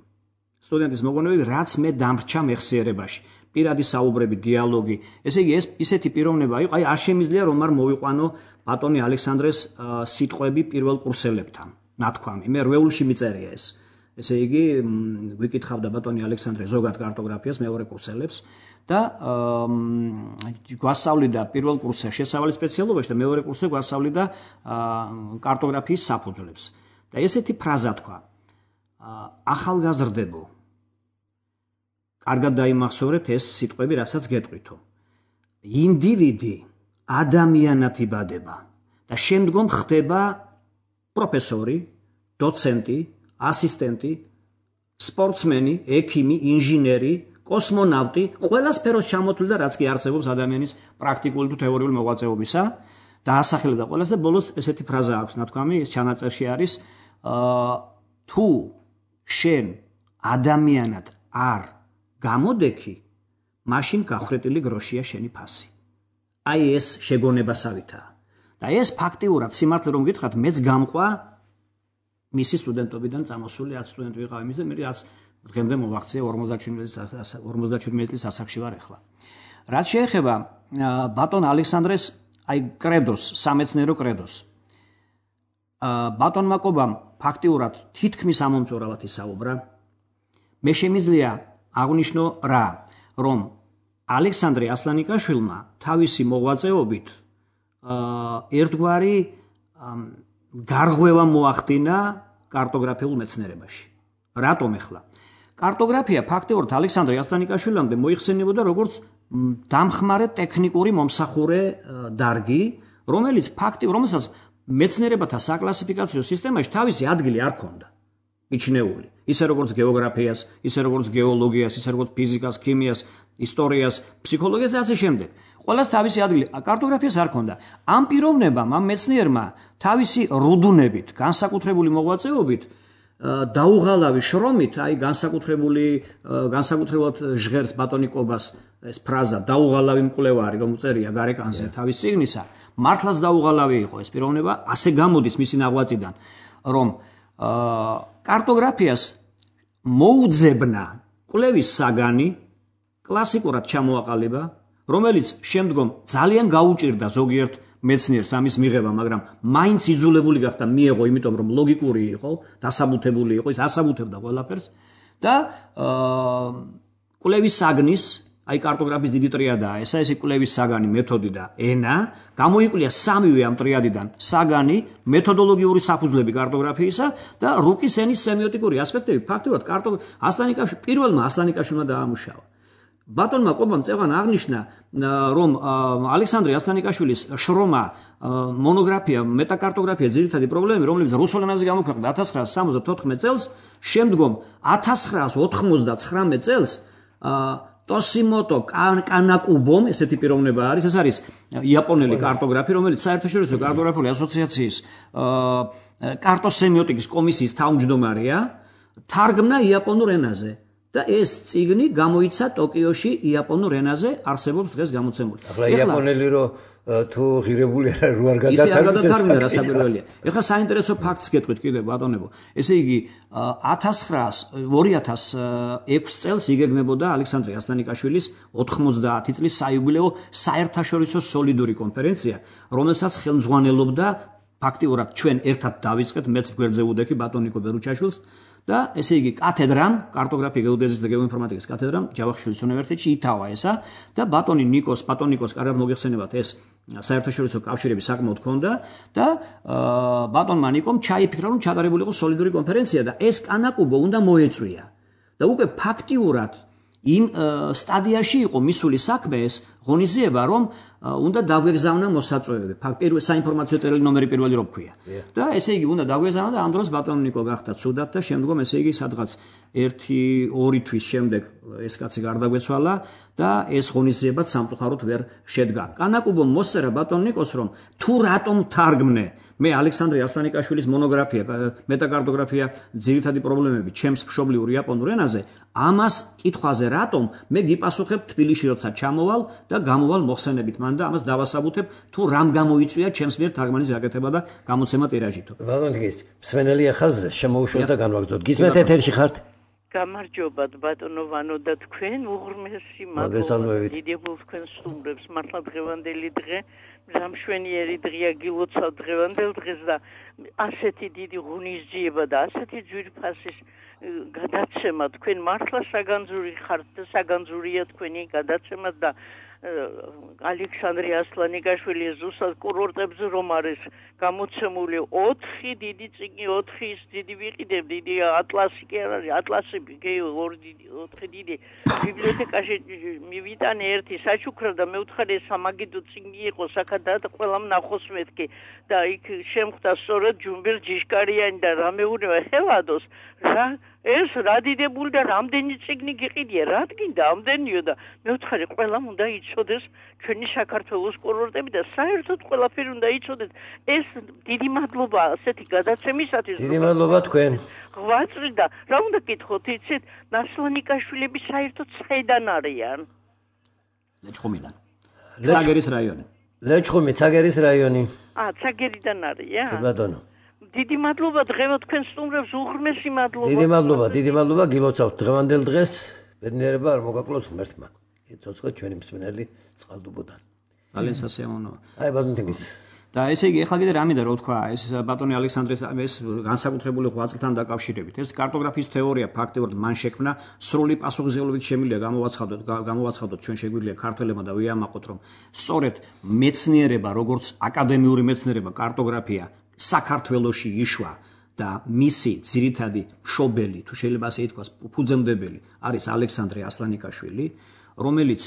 სტუდენტის მოგონებები, რაც მე დამრჩა მეხსიერებაში. პირადი საუბრები, დიალოგი. ესე იგი, ეს ისეთი პიროვნება იყო, აი არ შემიძლია რომ არ მოვიყვანო ბატონი ალექსანდრეს სიტყვები პირველ კურსელებთან. ნათქვამი. მე რვეულში მიწერია ეს. ესე იგი, ვიკითხავდა ბატონი ალექსანდრე ზოგად კარტოგრაფიას მეორე კურსელებს და გვასწავლიდა პირველ კურსზე შესავალი სპეციალობაში და მეორე კურსზე გვასწავლიდა კარტოგრაფიის საფუძვლებს. და ესეთი ფრაზა თქვა: ახალგაზრდებო, კარგად დაიმახსოვრეთ ეს სიტყვები, რასაც გეტყვითო. ინდივიდი ადამიანად იბადება და შემდგომ ხდება პროფესორი, დოცენტი, ასისტენტი, სპორტსმენი, ექიმი, ინჟინერი, კოსმონავტი, ყველა სფეროს ჩამოთვლილი და რაც კი არსებობს ადამიანის პრაქტიკული თუ თეორიული მოღვაწეობისა და ასახელებდა ყველას და ბოლოს ესეთი ფრაზა აქვს ნათქვამი, ეს ჩანაწერში არის, თუ შენ ადამიანად არ გამოდექი, მაშინ გახრეტილი გროშია შენი ფასი. აი ეს შეგონებასავითაა. და ეს ფაქტიურად სიმართლე რომ გითხრათ, მეც გამყვა მისი სტუდენტობიდან წამოსული 10 სტუდენტი ვიყავ იმის და მე რაც დღემდე მოვახციე 57 წლის ასაკში ვარ ახლა. რაც შეეხება ბატონ ალექსანდრეს აი კრედოს, სამეცნიერო კრედოს. ბატონმა კობამ ფაქტიურად თითქმის ამომწურავად ისაუბრა. მე შემიძლია აღნიშნო რა, რომ ალექსანდრე ასლანიკაშვილმა თავისი მოღვაწეობით ერთგვარი გარღვევა მოახდინა კარტოგრაფიულ მეცნიერებაში. რატომ ახლა? კარტოგრაფია ფაქტიურად ალექსანდრე ასლანიკაშვილამდე მოიხსენიებოდა როგორც დამხმარე ტექნიკური მომსახურე დარგი, რომელსაც მეცნიერებათა საკლასიფიკაციო სისტემაში თავისი ადგილი არ ჰქონდა. მიჩნეული. ისე როგორც გეოგრაფიას, ისე როგორც გეოლოგიას, ისე როგორც ფიზიკას, ქიმიას, ისტორიას, ფსიქოლოგიას და ასე შემდეგ. ყველას თავისი ადგილი, კარტოგრაფიას არ ჰქონდა. ამ პიროვნებამ, ამ მეცნიერმა თავისი რუდუნებით, განსაკუთრებული მოღვაწეობით დაუღალავი შრომით, აი განსაკუთრებულად ჟღერს ბატონი კობას ეს ფრაზა დაუღალავი მკვლევარი, რომ უწერია გარეკანზე თავის წიგნისა, მართლაც დაუღალავი იყო ეს პიროვნება, ასე გამოდის მისი ნაღვაწიდან, რომ კარტოგრაფიას მოუძებნა კვლევის საგანი კლასიკურად ჩამოაყალიბა, რომელიც შემდგომ ძალიან გაუჭირდა ზოგიერთ მეცნიერს ამის მიღება, მაგრამ მაინც იძულებული გახდა მიეღო, იმიტომ რომ ლოგიკური იყო, დასაბუთებული იყო, ის ასაბუთებდა ყველაფერს და კვლევის საგნის, აი კარტოგრაფიის დიდი ტრიადაა ესა, ეს კვლევის საგანი, მეთოდი და ენა, გამოიკვლია სამივე ამ ტრიადიდან საგანი, მეთოდოლოგიური საფუძვლები კარტოგრაფიისა და რუკის ენის სემიოტიკური ასპექტები, ფაქტობრივად პირველმა ასლანიკაშვილმა დაამუშავა. ბატონმა კობამ წევან აღნიშნა, რომ ალექსანდრე ასლანიკაშვილის შრომა მონოგრაფია მეტაკარტოგრაფია ძირითადი პრობლემები, რომელიც რუსულ ენაზე გამოქვეყნდა 1974 წელს, შემდგომ 1999 წელს ტოსიმოტო კანაკუბომ, ესეთი პიროვნება არის, ეს არის იაპონელი კარტოგრაფი, რომელიც საერთაშორისო კარტოგრაფიული ასოციაციის კარტოსემიოტიკის კომისიის თავმჯდომარეა, თარგმნა იაპონურ ენაზე. და ეს წიგნი გამოიცა ტოკიოში იაპონურ ენაზე, არსებობს დღეს გამოცემული. ახლა იაპონელი რო თუ ღირებული არ გადათარგმნა რასაკვირველია. ეხლა საინტერესო ფაქტს გეტყვით კიდე ბატონებო. ესე იგი 2006 წელს იგეგმებოდა ალექსანდრე ასლანიკაშვილის 90 წლის საიუბილეო საერთაშორისო სოლიდური კონფერენცია, რომელსაც ხელმძღვანელობდა ფაქტიურად ჩვენ ერთად დავიწყეთ, მეც გვერდზე უდექი ბატონ ნიკო ბერუჩაშვილს და ესე იგი კათედრამ, კარტოგრაფია, გეოდეზიის და გეოინფორმატიკის კათედრამ ჯავახიშვილის უნივერსიტეტში ითავა ესა და ბატონ ნიკოს კარგად მოგეხსენებათ ეს საერთაშორისო კავშირები საკმაოდ ჰქონდა და ბატონმა ნიკომ ჩაიფიქრა, რომ ჩატარებული იყო სოლიდური კონფერენცია და ეს კანაკუბო უნდა მოეწვია. და უკვე ფაქტიურად იმ სტადიაში იყო მისული საქმე ეს ღონისძიება, რომ უნდა დაგვეგზავნა მოსაწვევები. საინფორმაციო წერილი ნომერი პირველი რო ქვია. და ესე იგი უნდა დაგვეგზავნა და ამ დროს ბატონ ნიკო გახდა ცუდად და შემდგომ ესე იგი სადღაც 1-2 თვის შემდეგ ეს კაცი გარდაგვეცვალა და ეს ღონისძიებაც სამწუხაროდ ვერ შედგა. კანაკუბომ მოსწერა ბატონ ნიკოს, რომ თუ რატომ თარგმნე მე ალექსანდრე ასლანიკაშვილის მონოგრაფია მეტაკარტოგრაფია ძირითადი პრობლემები ჩემს მშობლიურ იაპონურ ენაზე, ამას კითხვაზე რატომ მე გიპასუხებ თბილისში როცა ჩამოვალ და გამოვალ მოხსენებით მან და ამას დავასაბუთებ თუ რამ გამოიწვია ჩემს მიერ თარგმანის გაკეთება და გამოცემა ტირაჟითო. ბატონო შემენელია ხაზზე შემოუშვათ და განვაგრძოთ. გისმენთ ეთერში ხართ? გამარჯობათ ბატონო ვანო და თქვენ უღრმესი მადლობა დიდებულ თქვენ სტუმრებს მართლა დღევანდელი დღე მშვენიერი დღეა გილოცავ დღევანდელ დღეს და ასეთი დიდი ღონისძიება და ასეთი ძვირფასის გადაცემა თქვენ მართლა საგანძური ხართ და საგანძურია თქვენი გადაცემა და ალექსანდრე ასლანიკაშვილი ზუსტად კურორტებზე რომ არის გამოცემული 4 დიდი წიგნი, 4 დიდი ვიყიდებ, დიდი ატლასი კი არ არის, ატლასები, 4 დიდი ბიბლიოთეკაში მივიტანე ერთი საჩუქრა და მეუთხარი სამაგიდო წიგნი იყო საკადად ყველამ ნახოს მეთქი და იქ შემხვდა სწორედ ჯუმბერ ჯიშკარიანი და რამეუნება ხევადოს რა ეს რა დიდებული და რამდენი წიგნი გიყიდია, რა თქინდა ამდენიო და მეუთხარი ყველამ უნდა იცოდეს ჩვენი საქართველოს კურორტები და საერთოდ ყველაფერი უნდა იცოდეს. ეს დიდი მადლობა ასეთი გადაცემისათვის. დიდი მადლობა თქვენ. ღვაწლი და რა უნდა გითხოთ, იცით, ასლანიკაშვილები საერთოდ საიდან არიან? ლეჩხუმიდან. ცაგერის რაიონი. ლეჩხუმი, ცაგერის რაიონი. ცაგერიდან არიან? კი ბატონო. დიდი მადლობა დღევა თქვენ სტუმრებს უღრმესი მადლობა. დიდი მადლობა გილოცავთ დღევანდელ დღეს. ბედნიერება არ მოგაკლოთ ღმერთმა. ცოცხლად ჩვენი მსმენელი წყალდუბოდან. ძალიან სასიამოვნოა. აი ბატონო თინგის. და ესე იგი ახლა კიდე რა მინდა რო თქვა ეს ბატონი ალექსანდრეს ეს განსაკუთრებული ღვაწლთან დაკავშირებით ეს კარტოგრაფიის თეორია ფაქტობრივად მან შექმნა სრული პასუხისმგებლობით შემიძლია გამოვაცხადოთ ჩვენ შეგვიძლია ქართველებმა და ვიამაყოთ რომ სწორედ მეცნიერება როგორც აკადემიური მეცნიერება კარტოგრაფია საქართველოში იშვა და მისი ძირითადი მშობელი თუ შეიძლება ასე ითქვას ფუძემდებელი არის ალექსანდრე ასლანიკაშვილი რომელიც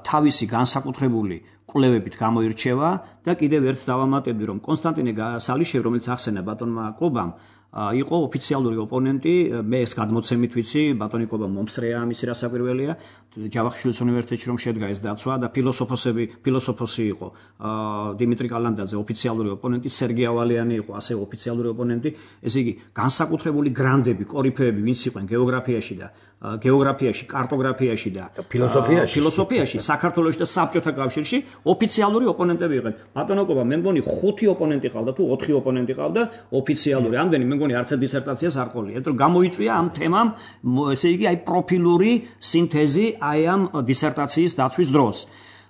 თავისი განსაკუთრებული კვლევებით გამოირჩევა და კიდევ ერთს დავამატებდი რომ კონსტანტინე სალიშვილი რომელიც ახსენა ბატონმა კობამ იყო ოფიციალური ოპონენტი, მე ეს გადმოცემით ვიცი, ბატონი კობა მომსწრეა ამისი რასაკვირველია, ჯავახიშვილის უნივერსიტეტში რომ შედგა ეს დაცვა და ფილოსოფოსი იყო დიმიტრი კალანდაძე ოფიციალური ოპონენტი, სერგი ავალიანი იყო ასევე ოფიციალური ოპონენტი, ესე იგი განსაკუთრებული გრანდები, კორიფეები ვინც იყვნენ გეოგრაფიაში, კარტოგრაფიაში და ფილოსოფიაში, საქართველოში და საბჭოთა კავშირში ოფიციალური ოპონენტები იყვნენ. ბატონო კობა, მე მგონი 5 ოპონენტი ყავდა თუ 4 ოპონენტი ყავდა ოფიციალური. ამდენი მე მგონი არც ერთ დისერტაციას არ ყოლია, იმიტომ რომ გამოიწვია ამ თემამ, ესე იგი აი პროფილური სინთეზი აი ამ დისერტაციის დაცვის დროს.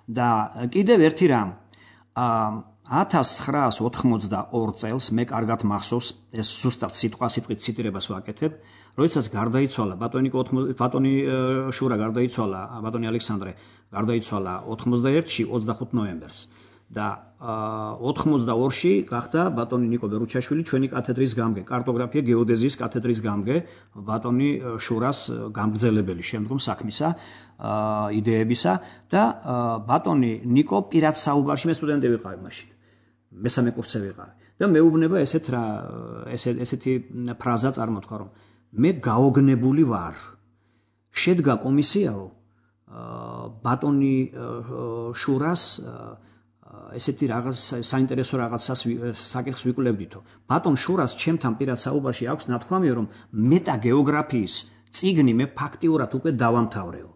და კიდევ ერთი რამ, 1982 წელს მე კარგად მახსოვს, ეს ზუსტად სიტყვასიტყვით ციტირებას ვაკეთებ, როდესაც გარდაიცვალა ბატონი შურა გარდაიცვალა, ბატონი ალექსანდრე გარდაიცვალა 91-ში 25 ნოემბერს და 82-ში გახდა ბატონი ნიკო ბერუჩაშვილი ჩვენი კათედრის გამგე, კარტოგრაფია გეოდეზიის კათედრის გამგე, ბატონი შურას გამგრძელებელი შემდგომ საქმისა, იდეებისა და ბატონი ნიკო პირად საუბარში, მე სტუდენტი ვიყავი მაშინ, მესამე კურსზე ვიყავი და მეუბნება ესეთი ფრაზა წარმოთქვა, რომ მე გაოგნებული ვარ. შედგა კომისიაო ბატონი შურას ესეთი რაღაც საინტერესო რაღაცას საკითხს ვიკვლევდითო. ბატონ შურას ჩემთან პირად საუბარში აქვს ნათქვამი, რომ მეტაგეოგრაფიის წიგნი მე ფაქტიურად უკვე დავამთავრეო.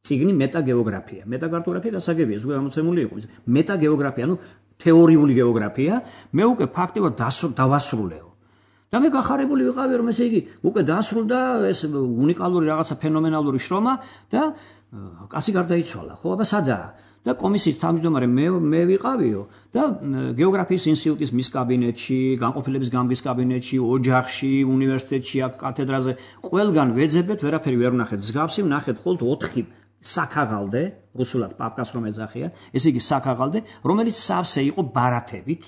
წიგნი მეტაგეოგრაფია. მეტაკარტოგრაფია დასაგებია, ზოგადად გამოცემული იყო. მეტაგეოგრაფია, ანუ თეორიული გეოგრაფია, მე უკვე ფაქტიურად დავასრულეო. და მე გახარებული ვიყავი, რომ ესე იგი უკვე დაასრულდა ეს უნიკალური რაღაცა ფენომენალური შრომა და კაცი გარდაიცვალა. ხო, აბა სადაა? და კომისიის თავმჯდომარე მე ვიყავიო და გეოგრაფიის ინსტიტუტის მის კაბინეტში, განყოფილების გამგის კაბინეტში, ოჯახში, უნივერსიტეტში, აქ კათედრაზე ყველგან ვეძებეთ, ვერაფერი ვერ ვნახეთ. მსგავსი ვნახეთ მხოლოდ 4 საქაღალდე, რუსულად პაპკას რომ ეძახიან, ესე იგი საქაღალდე, რომელიც სავსე იყო ბარათებით,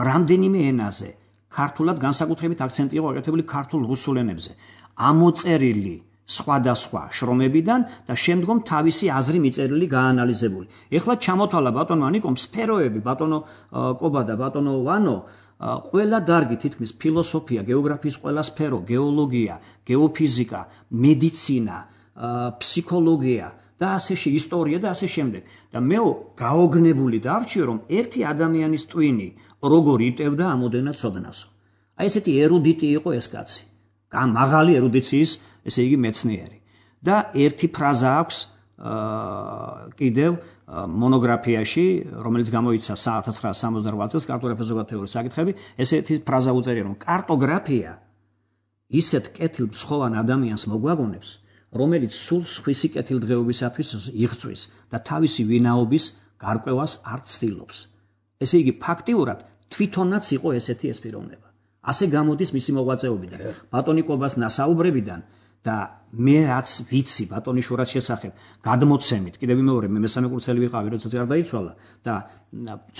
რამდენიმე ენაზე. ქართულად განსაკუთრებით აქცენტი იყო აკეთებული ქართულ-რუსულ ენებზე. ამოწერილი სხვადასხვა შრომებიდან და შემდგომ თავისი აზრი მიწერილი გაანალიზებული. ეხლა ჩამოთვალა ბატონო ნიკომ სფეროები, ბატონო კობა და ბატონო ვანო, ყველა დარგი თითქმის ფილოსოფია, გეოგრაფიის ყველა სფერო, გეოლოგია, გეოფიზიკა, მედიცინა, ფსიქოლოგია და ასე ისტორია და ასე შემდეგ. და მე გაოგნებული დარჩიო, რომ ერთი ადამიანის ტვინი როგორ იტევდა ამოდენად ცოდნასო. აი ესეთი ერუდიტი იყო ეს კაცი. მაღალი ერუდიციის, ესე იგი მეცნიერი. და ერთი ფრაზა აქვს კიდევ მონოგრაფიაში, რომელიც გამოიცა 1968 წელს კარტოგრაფიის ზოგადი თეორიის საკითხები, ესეთი ფრაზა უწერია, რომ კარტოგრაფია ისეთ კეთილმცხოვან ადამიანს მოგვაგონებს, რომელიც სულ სხვისი კეთილდღეობისათვის იღწვის და თავისი ვინაობის გარკვევას არ ცდილობს. ესე იგი ფაქტიურად თვითონაც იყო ესეთი ეს პიროვნება. ასე გამოდის მისი მოღვაწეობიდან, ბატონი კობას ნასაუბრებიდან და მე რაც ვიცი ბატონი შურას შესახებ, გადმოცემით, კიდევ მეორე მე მესამე კურსელი ვიყავი, როდესაც გარდაიცვალა და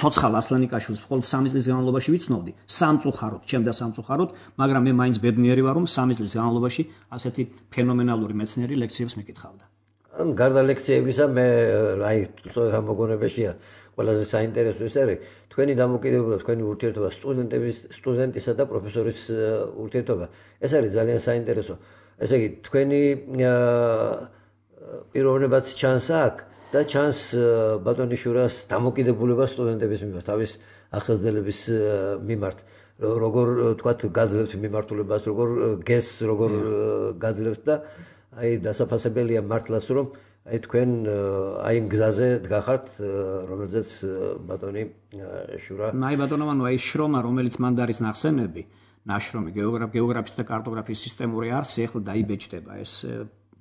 ცოცხალ ასლანიკაშვილს მხოლოდ 3 წლის განმავლობაში ვიცნობდი, სამწუხაროდ, ჩემ და სამწუხაროდ, მაგრამ მე მაინც ბედნიერი ვარ, რომ 3 წლის განმავლობაში ასეთი ფენომენალური მეცნიერი ლექციებს მეკითხავდა. ან გარდა ლექციებისა მე აი სწორედ ამ მოგონებაშია ყველაზე საინტერესო ეს არის თქვენი დამოკიდებულება, თქვენი ურთიერთობა სტუდენტისა და პროფესორის ურთიერთობა. ეს არის ძალიან საინტერესო. ესე იგი თქვენი პიროვნებაც ჩანს აქ და ჩანს ბატონი შურას დამოკიდებულება სტუდენტების მიმართ, თავის აღსაძნელების მიმართ. როგორ თქვათ გაძლევთ მიმართულებას, როგორ გესს, როგორ გაძლევთ და აი დასაფასებელია მართლაც რომ აი თქვენ აი იმ გზაზე დგახართ, რომელზეც ბატონი შურა. აი ბატონო მანო, აი შრომა, რომელიც მან დარის ნახსენები, ნაშრომი გეოგრაფიის და კარტოგრაფიის სისტემური არსი, ახლა დაიბეჭდება ეს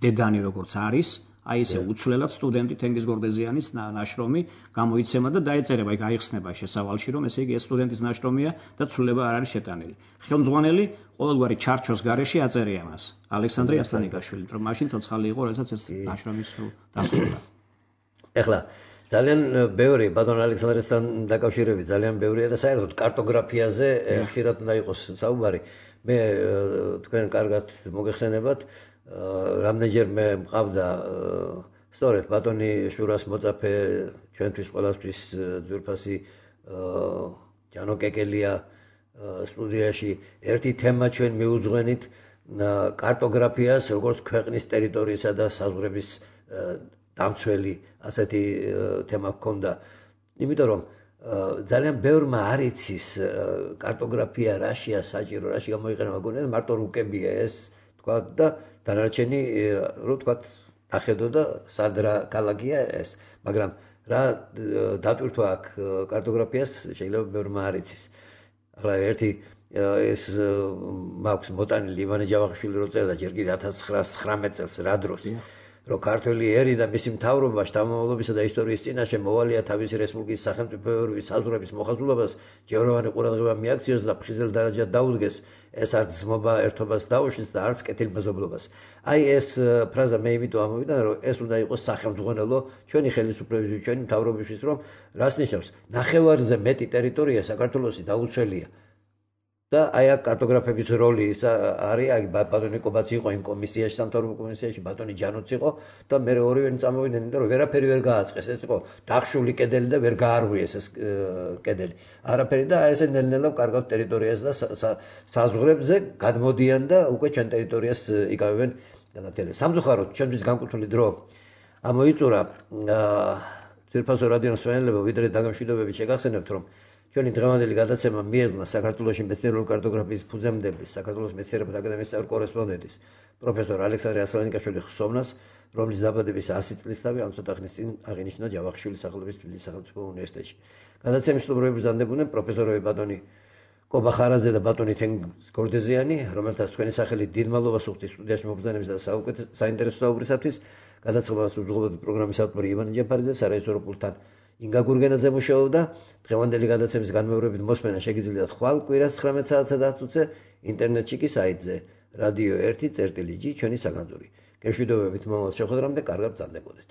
დედანი როგორც არის, აი ესე უცვლელად სტუდენტი თენგიზ გორდეზიანის ნაშრომი გამოიცემა და დაეწერება, აი გაიხსნება შესავალში, რომ ესე იგი ეს სტუდენტის ნაშრომია და ცვლილება არ არის შეტანილი. ხელმძღვანელი ყოველგვარი ჩარჩოს გარეშე აწერია მას ალექსანდრე ასლანიკაშვილი, რომ მაშინ ცოცხალი იყო, როდესაც ეს ნაშრომი დასრულდა. ეხლა ძალიან ბევრი ბატონ ალექსანდრესთან დაკავშირებით ძალიან ბევრია და საერთოდ კარტოგრაფიაზე ხშირად უნდა იყოს საუბარი. მე თქვენ კარგად მოგეხსენებათ, რამდენჯერ მე მყავდა სწორედ ბატონი შურას მოწაფე, ჩვენთვის ყველასთვის ძვირფასი ჯანო კეკელია, სტუდიაში ერთი თემა ჩვენ მიუძღვენით კარტოგრაფიას, როგორც ქვეყნის ტერიტორიისა და საზღვრების დამცველი ასეთი თემა ჰქონდა. იმიტომ რომ ძალიან ბევრმა არ იცის კარტოგრაფია რაშია საჭირო, რაში გამოიყენება გონია, მარტო რუკებია ეს თქვა და დანარჩენი რო თქვა ახედო და სად რა ქალაქია ეს, მაგრამ რა დატვირთვა აქ კარტოგრაფიას შეიძლება ბევრმა არ იცის. ახლა ერთი ეს მაქვს მოტანილი ივანე ჯავახიშვილი რო წერდა ჯერ კიდე 1919 წელს რა დროს რომ ქართველი ერი და მისი მთავრობა შთამომავლობისა და ისტორიის წინაშე მოვალია თავისი რესპუბლიკის სახელმწიფოებრივი საზღვრების მოხაზულობას ჯეროვანი ყურადღება მიაქციოს და ფხიზელ დარაჯად დაუდგეს ეს არც ძმობა ერთობას დაუშვით და არც კეთილმეზობლობას. აი ეს ფრაზა მე იმიტომ ამოვიდა რომ ეს უნდა იყოს სახელმძღვანელო ჩვენი ხელისუფლებისთვის, ჩვენი მთავრობისთვის, რომ რას ნიშნავს ნახევარზე მეტი ტერიტორია საქართველოსი დაუცველია. და აი აქ კარტოგრაფების როლი ის არის, აი ბატონი კობაცი იყო იმ კომისიაში, სამთავრობო კომისიაში, ბატონი ჯანოც იყო და მე ორივენი წამოვიდნენ, იმიტომ რომ ვერაფერი ვერ გააწყეს, ეს იყო დახშული კედელი და ვერ გაარღვიეს ეს კედელი. არაფერი და აი ესე ნელ-ნელა კარგავთ ტერიტორიას და საზღვრებზე გადმოდიან და უკვე ჩვენ ტერიტორიას იკავებენ განათელებას. სამწუხაროდ, ჩვენთვის განკუთვნილი დრო ამოიწურა ძვირფასო რადიოს მსმენელებო, ვიდრე დაგამშვიდობებით შეგახსენებთ, რომ ჩვენი დღევანდელი გადაცემა მიეძღვნა საქართველოში მეცნიერული კარტოგრაფიის ფუძემდების, საქართველოს მეცნიერებათა აკადემიის წევრი კორესპონდენტის პროფესორ ალექსანდრე ასლანიკაშვილის ხსოვნას, რომლის დაბადების 100 წლისთავი ამ ცოტა ხნის წინ აღინიშნა ჯავახიშვილის სახელობის თბილისის სახელმწიფო უნივერსიტეტში. გადაცემის სტუმრები ბრძანდებოდნენ პროფესორები ბატონი კობა ხარაძე და ბატონი თენგიზ გორდეზიანი, რომელთაც თქვენი სახელი დიდ მადლობას უხდით სტუდიაში მობრძანების და საინტერესო საუბრისათვის. გადაცემას უძღვებოდი პროგრამის ავტორი ივანე ჯაფარიძე, სარეჟისორო პულტთან ინგა გურგენაძე მუშაობდა. დღევანდელი გადაცემის განმეორებით მოსმენა შეგიძლიათ ხვალ კვირას 19 საათსა და 10 წუთზე ინტერნეტში კი საიტზე radio 1.gi ჩვენი საგანძური. გეშვიდობებით მომავალ შეხვედრამდე, კარგად ბრძანდებოდეთ.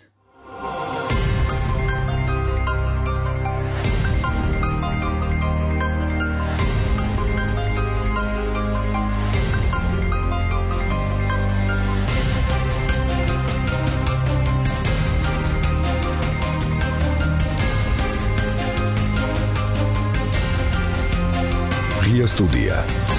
Студия.